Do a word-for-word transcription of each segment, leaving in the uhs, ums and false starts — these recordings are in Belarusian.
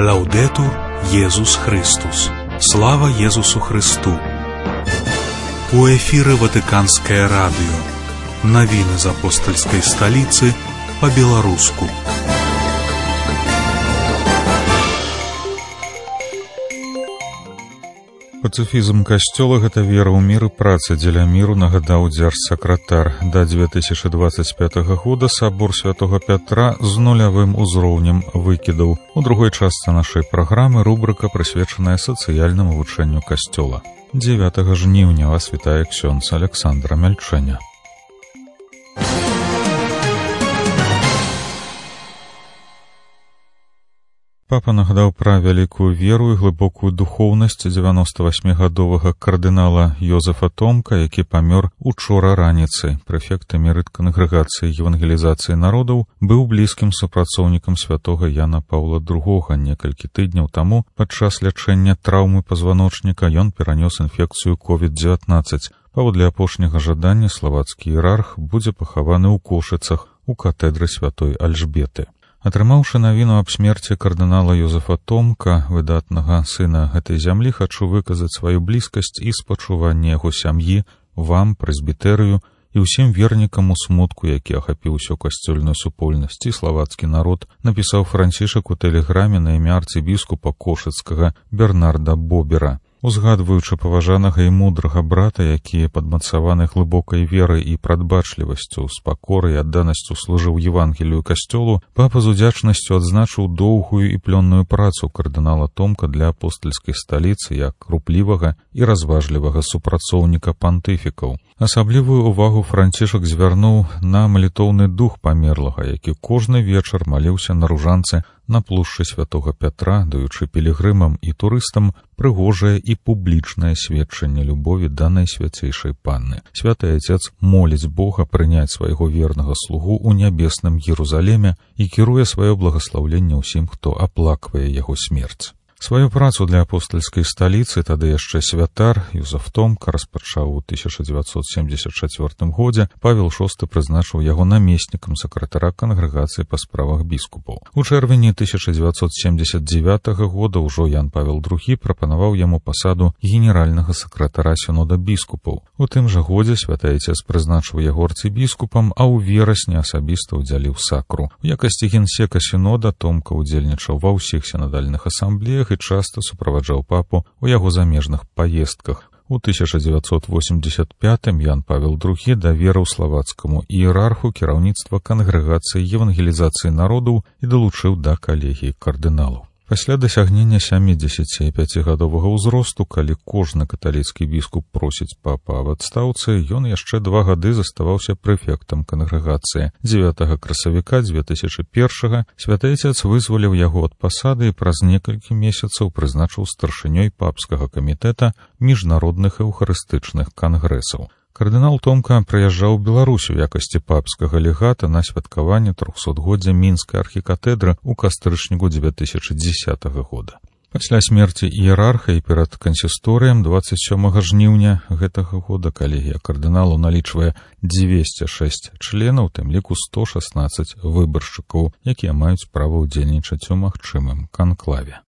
Лаудетур Єсус Христос. Слава Єсусу Христу. У эфире Ватиканское радио. Новины из апостольской столицы по-белорусски. Пацыфізм касцёла — гэта вера ў мір і праца дзеля міру, нагадаў дзяржсакратар. Да две тысячи двадцать пятого года сабор святого Пятра з нулявым узроўнем выкідаў. У другой частцы нашай праграмы рубрыка, прысвечаная сацыяльнаму вывучэнню касцёла. дзевятага жніўня вас вітае ксёндз Александра Мяльчэня. Папа нагадаў пра вялікую веру і глыбокую духоўнасць дзевяноставасьмігадовага кардынала Йозефа Томка, які памёр учора раніцай. Прэфект эмерыт кангрэгацыі евангелізацыі народаў, быў блізкім супрацоўнікам святога Яна Паўла другога. Некалькі тыдняў таму падчас лячэння траўмы пазваночніка ён перанёс інфекцыю ковід дзевятнаццаць. Паводле апошняга жадання славацкі іерарх будзе пахаваны ў Кошыцах у катэдры святой Альжбеты. Атрымаўшы навіну аб смерці кардынала Йозефа Томка, выдатнага сына гэтай зямлі, хачу выказаць сваю блізкасць і спачуванне яго сям'і, вам, прэзбітэрыю і ўсім вернікам у смутку, які ахапіў усю касцёльную супольнасць і славацкі народ, напісаў Францішак у тэлеграме на імя арцыбіскупа Кошыцкага Бернарда Бобера. Узгадваючы паважанага і мудрага брата, які падмацаваны глыбокай верай і прадбачлівасцю, з пакорай і адданасцю служыў Евангелію касцёлу, папа з удзячнасцю адзначыў доўгую і плённую працу кардынала Томка для апостальскай сталіцы як руплівага і разважлівага супрацоўніка пантыфікаў. Асаблівую ўвагу Францішак звярнуў на малітоўны дух памерлага, які кожны вечар маліўся на ружанцы на плошчы святога Пятра, даючы пілігрымам і турыстам прыгожае і публічнае сведчанне любові да найсвяцейшай панны. Святы Отец моліць Бога прыняць свайго вернага слугу ў нябесным Єрусалеме і кіруе сваё благаслаўленне ўсім, хто аплаквае яго смерць. Сваю працу для апостальскай сталіцы тады яшчэ святар Йозеф Томка распачаў у тысяча дзевяцьсот семьдесят чацвёртым годзе. Павел шосты прызначыў яго намеснікам сакратара кангрэгацыі па справах біскупаў. У чэрвені тысяча дзевяцьсот семьдесят девятого года ўжо Ян Павел другі прапанаваў яму пасаду генеральнага сакратара сінода біскупаў. У тым жа годзе святы Отец прызначыў яго арцыбіскупам, а ў верасні асабіста ўдзяліў сакру. У якасці генсека сінода Томка ўдзельнічаў ва ўсіх сінадальных асамблеях і часта суправаджаў папу ў яго замежных паездках. У тысяча дзевяцьсот восемьдесят пятым Ян Павел другі даверыў славацкаму іерарху кіраўніцтва кангрэгацыі евангелізацыі народаў і далучыў да калегіі кардыналаў. Пасля дасягнення сямідзесяціпяцігадовага ўзросту, калі кожны каталіцкі біскуп просіць папа аб адстаўцы, ён яшчэ два гады заставаўся прэфектам кангрэгацыі. дзевятага красавіка две тысячи першага святы Отец вызваліў яго ад пасады і праз некалькі месяцаў прызначыў старшынёй папскага камітэта міжнародных эўхарыстычных кангрэсаў. Кардынал Томка прыязджаў у Беларусь у якасці папскага легата на святкаванне трохсотгоддзя мінскай архікатэдры ў кастрычніку две тысячи дзесятого года. Пасля смерці іерарха і перад кансісторыям двадцать сёмага жніўня гэтага года калегія кардыналу налічвае дзвесце шэсць членаў, тым ліку сто шаснаццаць выбаршчыкаў, якія маюць права ўдзельнічаць у магчымым канклаве.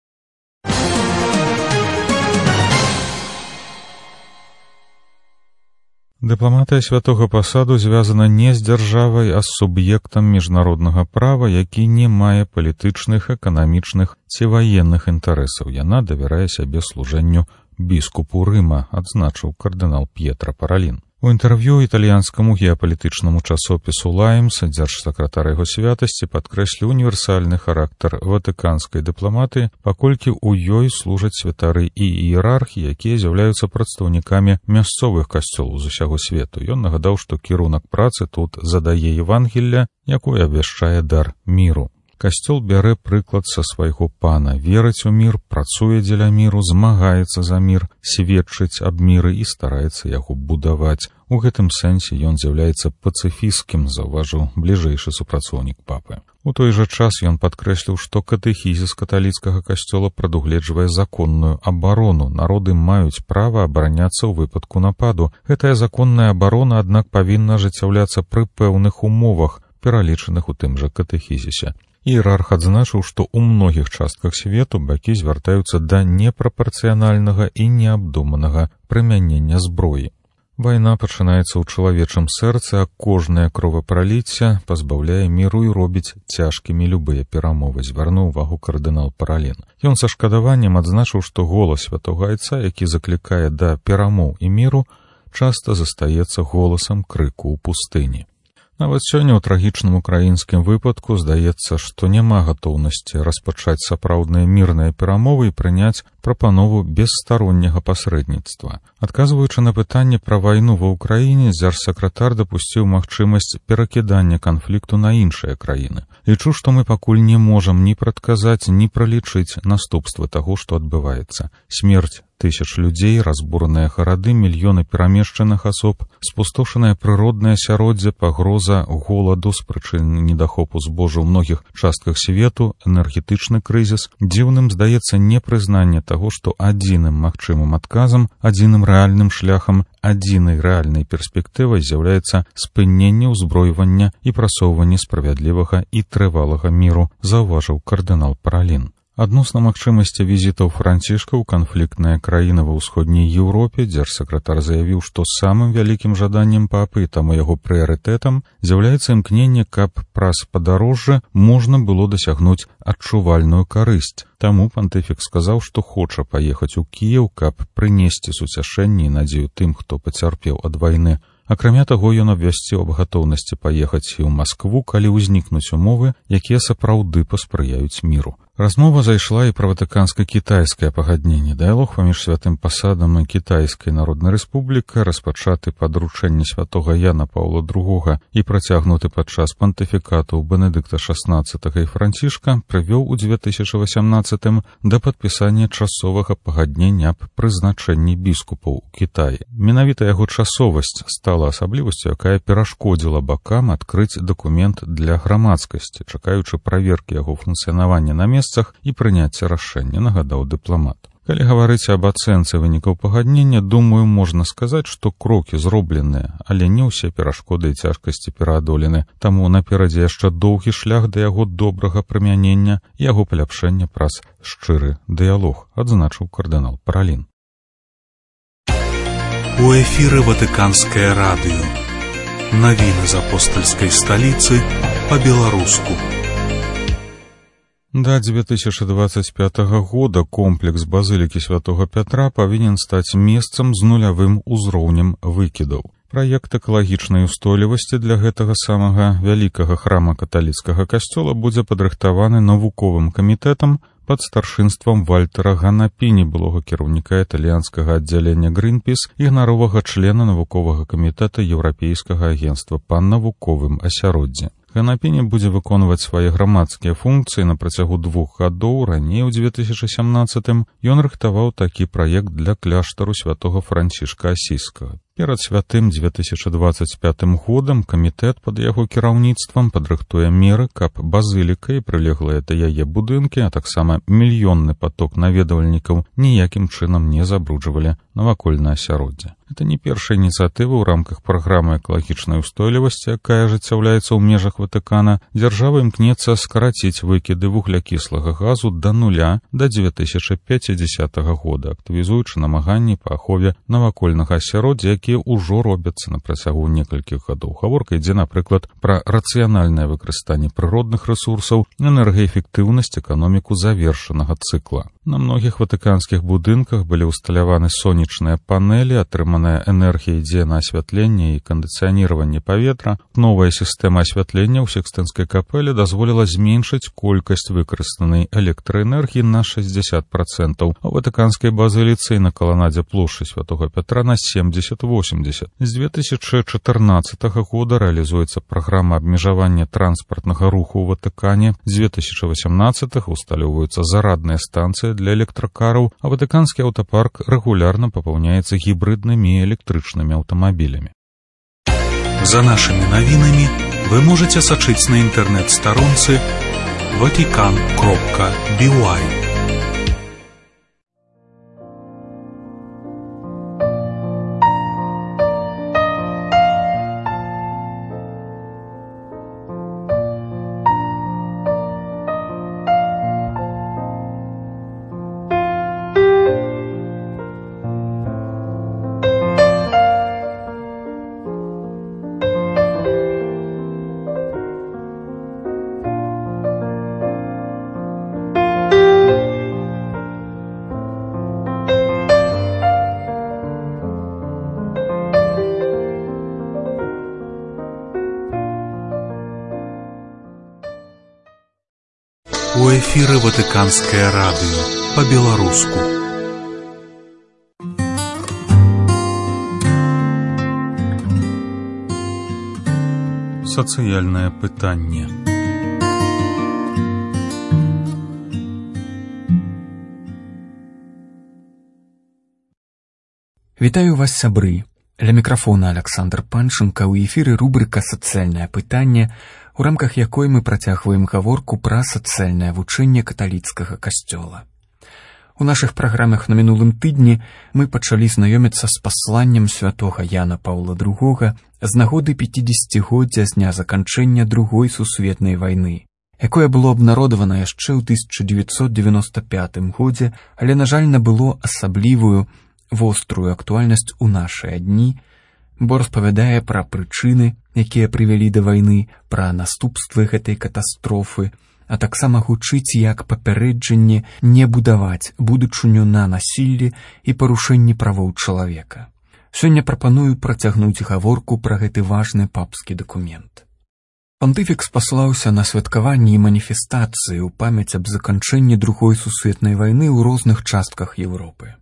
Дыпламатыя святога пасаду звязана не з дзяржавай, а з суб'ектам міжнароднага права, які не мае палітычных, эканамічных ці ваенных інтарэсаў. Яна давярае сябе служэнню біскупу Рыма, адзначыў кардынал П'етра Паралін. У інтэрв'ю італьянскаму геапалітычнаму часопісу «Лаймс» дзяржсакратар яго святасці падкрэсліў універсальны характар ватыканскай дыпламатыі, паколькі ў ёй служаць святары і іерархі, якія з'яўляюцца прадстаўнікамі мясцовых касцёлаў з усяго свету. Ён нагадаў, што кірунак працы тут задае Евангелля, якое абвяшчае дар міру. Касцёл бярэ прыклад са свайго пана, верыць у мір, працуе дзеля міру, змагаецца за мір, сведчыць аб міры і стараецца яго будаваць. У гэтым сэнсе ён з'яўляецца пацыфісцкім, заўважыў бліжэйшы супрацоўнік папы. У той жа час ён падкрэсліў, што катэхізіс каталіцкага касцёла прадугледжвае законную абарону. Народы маюць права абараняцца ў выпадку нападу. Гэтая законная абарона, аднак, павінна ажыццяўляцца пры пэўных умовах, пералічаных у тым жа катэхізісе. Іерарх адзначыў, што ў многіх частках свету бакі звяртаюцца да непрапарцыянальнага і неабдуманага прымянення зброі. Вайна пачынаецца ў чалавечым сэрцы, а кожнае кровапраліцце пазбаўляе міру і робіць цяжкімі любыя перамовы, звярнуў увагу кардынал Паралін. Ён са шкадаваннем адзначыў, што голас святога айца, які заклікае да перамоў і міру, часта застаецца голасам крыку ў пустыні. Нават сёння ў трагічным украінскім выпадку здаецца, што няма гатоўнасці распачаць сапраўдныя мірныя перамовы і прыняць прапанову бесстаронняга пасрэдніцтва. Адказваючы на пытанне пра вайну ва ўкраіне, дзяржсакратар дапусціў магчымасць перакідання канфлікту на іншыя краіны. Лічу, што мы пакуль не можам ні прадказаць, ні пралічыць наступствы таго, што адбываецца. Смерць тысяч людзей, разбураныя гарады, мільёны перамешчаных асоб, спустошанае прыроднае асяроддзе, пагроза голаду з прычыны недахопу збожжа ў многіх частках свету, энергетычны крызіс. Дзіўным здаецца непрызнанне таго, што адзіным магчымым адказам, адзіным рэальным шляхам, адзінай рэальнай перспектывай з'яўляецца спыненне ўзброівання і прасоўванне справядлівага і трывалага міру, заўважыў кардынал Паралін. Адносна магчымасці візітаў Францішка ў канфліктныя краіны ва ўсходняй Еўропе, дзяржсакратар заявіў, што самым вялікім жаданнем папы, таму яго прыярытэтам, з'яўляецца імкненне, каб праз падарожжа можна было дасягнуць адчувальную карысць. Таму пантыфік сказаў, што хоча паехаць у Кіеў, каб прынесці суцяшэнне і надзею тым, хто пацярпеў ад вайны. Акрамя таго, ён абвясціў аб гатоўнасці паехаць і ў Маскву, калі ўзнікнуць умовы, якія сапраўды паспрыяюць міру. Размова зайшла і пра ватыканска-кітайскае пагадненне. Дыялог паміж святым пасадам і Кітайскай Народнай Рэспублікай, распачаты па даручэнні святога Яна Паўла другога і працягнуты падчас пантыфікату Бенедыкта шаснаццатага і Францішка, прывёў у дзве тысячы васямнаццатым да падпісання часовага пагаднення аб прызначэнні біскупаў у Кітаі. Менавіта яго часовасць стала асаблівасцю, якая перашкодзіла бакам адкрыць дакумент для грамадскасці, чакаючы праверкі яго функцыянавання на месцах і прыняцця рашэння, нагадаў дыпламат. Калі гаварыць аб ацэнцы вынікаў пагаднення, думаю, можна сказаць, што крокі зробленыя, але не ўсе перашкоды і цяжкасці пераадолены, таму наперадзе яшчэ доўгі шлях да яго добрага прымянення і яго паляпшэння праз шчыры дыялог, адзначыў кардынал Паралін. У эфіры Ватыканскае радыё. Навіны з апостальскай сталіцы па-беларуску. Да дзве тысячы дваццаць пятага года комплекс базылікі святога Пятра павінен стаць месцам з нулявым узроўнем выкідаў. Праект экалагічнай устойлівасці для гэтага самага вялікага храма каталіцкага касцёла будзе падрыхтаваны навуковым камітэтам пад старшынствам Вальтера Ганапіні, былога кіраўніка італьянскага аддзялення Greenpeace і ганаровага члена навуковага камітэта Еўрапейскага агенцтва па навуковым асяроддзі. Ганапіні будзе выконваць свае грамадскія функцыі на працягу двух гадоў. Раней у дзве тысячы сямнаццатым ён рыхтаваў такі праект для кляштару святога Францішка Асійскага. Перад святым дзве тысячы дваццаць пятым годам камітэт пад яго кіраўніцтвам падрыхтуе меры, каб базыліка і прылеглыя да яе будынкі, а таксама мільённы паток наведвальнікаў ніякім чынам не забруджвалі навакольнае асяроддзе. Гэта не першая ініцыятыва ў рамках праграмы экалагічнай устойлівасці, якая ажыццяўляецца ў межах Ватыкана. Дзяржава імкнецца скараціць выкіды вуглякіслага газу да нуля да дзве тысячы пяцідзясятага года, актывізуючы намаганні па ахове навакольнага асяроддзя, якія ўжо робяцца на працягу некалькіх гадоў. Гаворка ідзе, напрыклад, пра рацыянальнае выкарыстанне прыродных рэсурсаў, энергаэфектыўнасць, эканоміку завершанага цыкла. На многіх ватыканскіх будынках былі ўсталяваны сонечныя панелі, атрыманая энергія ідзе на асвятленне і кандыцыяніраванне паветра. Новая сістэма асвятлення ў Сікстынскай капэлі дазволіла зменшыць колькасць выкарыстанай электраэнергіі на шэсцьдзесят працэнтаў, а ў ватыканскай базыліцы і на каланадзе плошчы святога Пятра на семьдесят восемьдесят. З дзве тысячы чатырнаццатага года рэалізуецца праграма абмежавання транспартнага руху ў Ватыкане. З дзве тысячы васямнаццатага усталёўваюцца зарадныя станцыі для электракараў, а ватыканскі аўтапарк рэгулярна папаўняецца гібриднымі і электрычнымі аўтамабілямі. За нашымі навінамі вы можаце сачыць на інтэрнэт-старонцы ватикан кропка би уай. У эфіры Ватыканскае радыё па-беларуску. Сацыяльнае пытанне. Вітаю вас, сябры. Ля мікрафона Александр Панченко, у эфіры рубрыка «Сацыяльнае пытанне», у рамках якой мы працягваем гаворку пра сацыяльнае вучэнне каталіцкага касцёла. У нашых праграмах на мінулым тыдні мы пачалі знаёміцца з пасланнем святога Яна Паўла другога з нагоды пяцідзесяцігоддзя з дня заканчэння Другой сусветнай вайны, якое было абнародавана яшчэ ў тысяча дзевяцьсот дзевяноста пятым годзе, але, на жаль, набыло асаблівую вострую актуальнасць у нашыя дні, бо распавядае пра прычыны, якія прывялі да вайны, пра наступствы гэтай катастрофы, а таксама гучыць як папярэджанне не будаваць будучыню на насіллі і парушэнні правоў чалавека. Сёння прапаную працягнуць гаворку пра гэты важны папскі дакумент. Пантыфік спаслаўся на святкаванні і маніфестацыі ў памяць аб заканчэнні Другой сусветнай вайны ў розных частках Еўропы.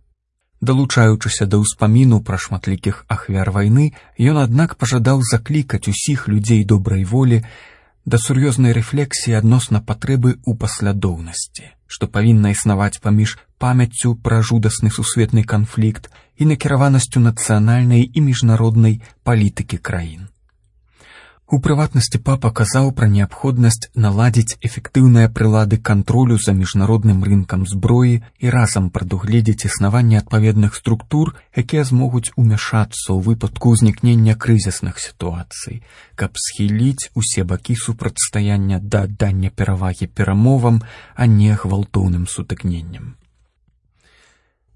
Далучаючыся да ўспаміну пра шматлікіх ахвяр вайны, ён, аднак, пажадаў заклікаць усіх людзей добрай волі да сур'ёзнай рэфлексіі адносна патрэбы ў паслядоўнасці, што павінна існаваць паміж памяццю пра жудасны сусветны канфлікт і накіраванасцю нацыянальнай і міжнароднай палітыкі краін. У прыватнасці папа казаў пра неабходнасць наладзіць эфектыўныя прылады кантролю за міжнародным рынкам зброі і разам прадугледзець існаванне адпаведных структур, якія змогуць умяшацца ў выпадку ўзнікнення крызісных сітуацый, каб схіліць усе бакі супрацьстаяння да аддання перавагі перамовам, а не гвалтоўным сутыкненням.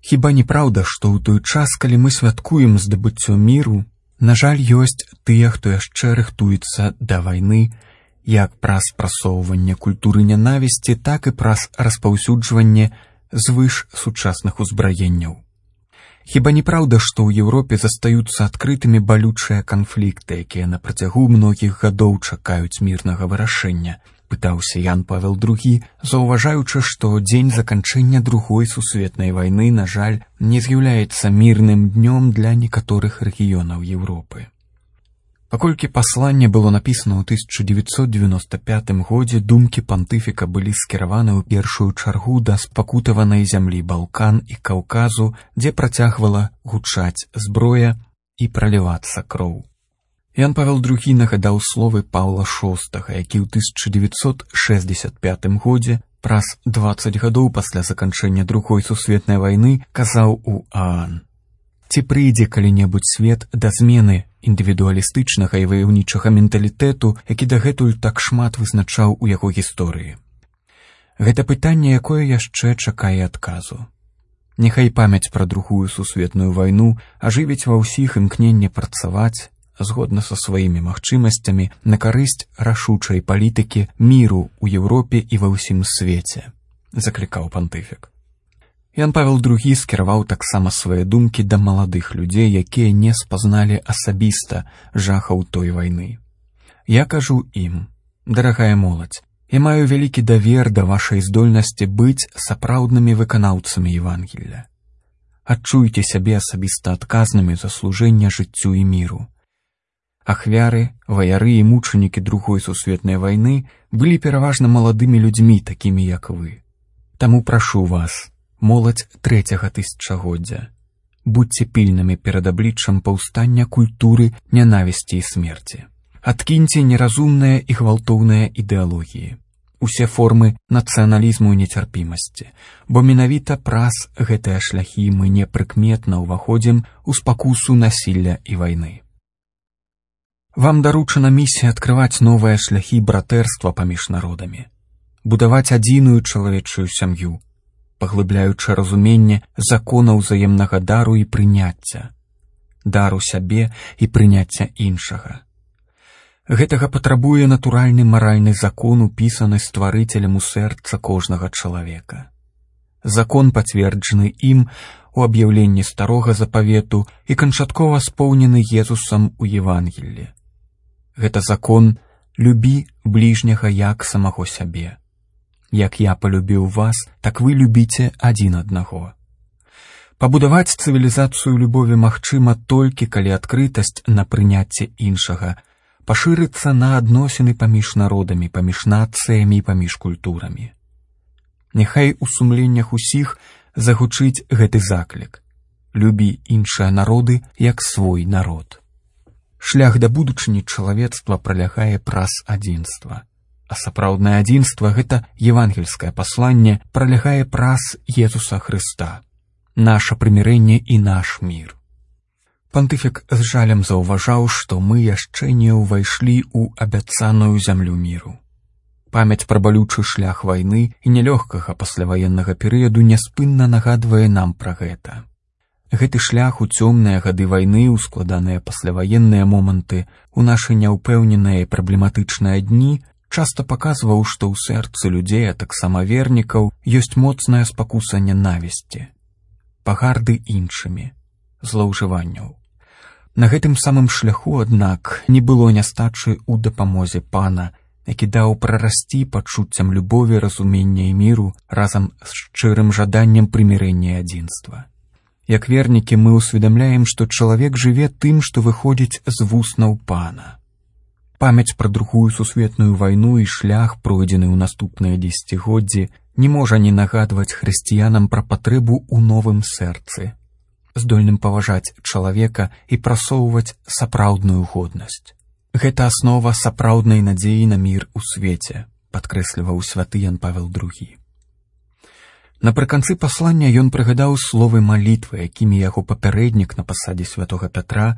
Хіба не праўда, што ў той час, калі мы святкуем здабыццё міру, на жаль, ёсць тыя, хто яшчэ рыхтуецца да вайны, як праз прасоўванне культуры нянавісці, так і праз распаўсюджванне звыш сучасных узбраенняў. Хіба не праўда, што ў Еўропе застаюцца адкрытымі балючыя канфлікты, якія на працягу многіх гадоў чакаюць мірнага вырашэння? Пытаўся Ян Павел другі, заўважаючы, што дзень заканчэння Другой сусветнай вайны, на жаль, не з'яўляецца мірным днём для некаторых рэгіёнаў Еўропы. Паколькі пасланне было напісана ў тысяча дзевяцьсот дзевяноста пятым годзе, думкі пантыфіка былі скіраваны ў першую чаргу да спакутаванай зямлі Балкан і Каўказу, дзе працягвала гучаць зброя і пралівацца кроў. Ян Павел другі нагадаў словы Паўла шостага, які ў тысяча дзевяцьсот шэсцьдзесят пятым годзе, праз дваццаць гадоў пасля заканчэння Другой сусветнай вайны, казаў у ААН: «Ці прыйдзе калі-небудзь свет да змены індывідуалістычнага і ваяўнічага менталітэту, які дагэтуль так шмат вызначаў у яго гісторыі? Гэта пытанне, якое яшчэ чакае адказу. Няхай памяць пра Другую сусветную вайну ажывіць ва ўсіх імкненне працаваць, згодна са сваімі магчымасцямі, на карысць рашучай палітыкі міру ў Еўропе і ва ўсім свеце», заклікаў пантыфік. Ян Павел другі скіраваў таксама свае думкі да маладых людзей, якія не спазналі асабіста жахаў той вайны. «Я кажу ім: дарагая моладзь, я маю вялікі давер да вашай здольнасці быць сапраўднымі выканаўцамі Евангелля. Адчуйце сябе асабіста адказнымі за служэнне жыццю і міру. Ахвяры, ваяры і мучанікі Другой сусветнай вайны былі пераважна маладымі людзьмі, такімі як вы. Таму прашу вас, моладзь трэцяга тысячагоддзя, будьце пільнымі перад абліччам паўстання культуры нянавісці і смерці. Адкіньце неразумныя і гвалтоўныя ідэалогіі, усе формы нацыяналізму і нецярпімасці, бо менавіта праз гэтыя шляхі мы непрыкметна ўваходзім у спакусу насілля і вайны. Вам даручана місія адкрываць новыя шляхі братэрства паміж народамі, будаваць адзіную чалавечую сям'ю, паглыбляючы разуменне закона ўзаемнага дару і прыняцця, дару сябе і прыняцця іншага. Гэтага патрабуе натуральны маральны закон, упісаны стварыцелем у сэрца кожнага чалавека. Закон, пацверджаны ім у аб'яўленні старога запавету і канчаткова споўнены Езусам у Евангеллі. Гэта закон «любі бліжняга як самого сябе». Як я полюбіў вас, так вы любіце адзін аднаго. Пабудаваць цывілізацыю любові магчыма толькі, калі адкрытасць на прыняцце іншага пашырыцца на адносіны паміж народамі, паміж нацыямі і паміж культурамі. Няхай у сумленнях усіх загучыць гэты заклік. Любі іншыя народы, як свой народ. Шлях да будучыні чалавецтва пралягае праз адзінства. А сапраўднае адзінства — гэта евангельскае пасланне, пралягае праз Езуса Хрыста. Наша прымірэнне і наш мір. Пантыфік з жалем заўважаў, што мы яшчэ не ўвайшлі ў абяцаную зямлю міру. Памяць пра балючы шлях вайны і нялёгкага пасляваеннага перыяду няспынна нагадвае нам пра гэта. Гэты шлях у цёмныя гады вайны, у складаныя пасляваенныя моманты, у нашы няўпэўненыя і праблематычныя дні часта паказваў, што ў сэрцы людзей, а таксама вернікаў, ёсць моцная спакуса нянавісці, пагарды іншымі, злоўжыванняў. На гэтым самым шляху, аднак, не было нястачы ў дапамозе Пана, які даў прарасці пачуццям любові, разумення і міру разам з шчырым жаданнем прымірэння і адзінства. Як вернікі мы ўсведамляем, што чалавек жыве тым, што выходзіць з вуснаў Пана. Памяць пра другую сусветную вайну і шлях, пройдзены ў наступныя дзесяцігоддзі, не можа не нагадваць хрысціянам пра патрэбу ў новым сэрцы, здольным паважаць чалавека і прасоўваць сапраўдную годнасць. Гэта аснова сапраўднай надзеі на мір у свеце, падкрэсліваў святы Ян Павел другі. Напрыканцы паслання ён прыгадаў словы малітвы, якімі яго папярэднік на пасадзе святога Пятра,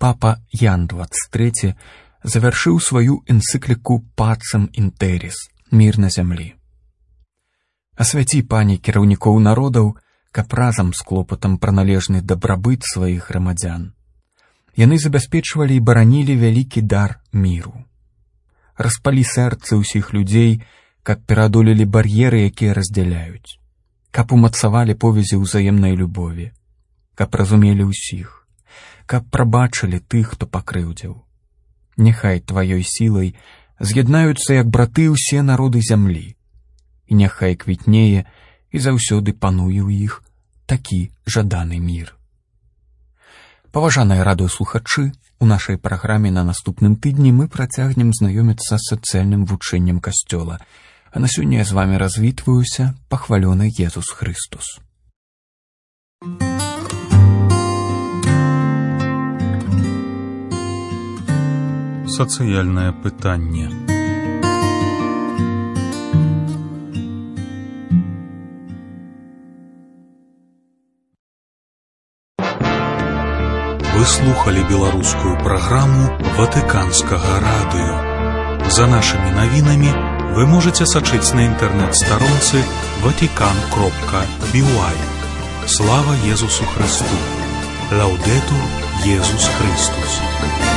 папа Ян дваццаць трэці, завяршыў сваю энцыкліку «Пацем інтэріс» — «Мір на зямлі». Асвяці, Пане, кіраўнікоў народаў, каб разам з клопатам пра належны дабрабыт сваіх грамадзян яны забяспечвалі і баранілі вялікі дар міру. Распалі сэрцы ўсіх людзей, каб пераадолелі бар'еры, якія раздзяляюць, каб умацавалі повязі ўзаемнай любові, каб разумелі ўсіх, каб прабачылі тых, хто пакрыўдзіў. Няхай тваёй сілай з'яднаюцца як браты ўсе народы зямлі, і няхай квітнее і заўсёды пануе ў іх такі жаданы мір. Паважаныя радыёслухачы, у нашай праграме на наступным тыдні мы працягнем знаёміцца з сацыяльным вучэннем Касцёла. А на сёння я з вамі развітваюся, пахвалёны Езус Хрыстус. Сацыяльнае пытанне. Вы слухали беларускую праграму Ватыканскага радыё. За нашымі навінамі вы можаце сачыць на інтэрнэт-старонцы ватикан кропка би уай. Слава Езусу Христу! Лаўдэтур Езус Христус!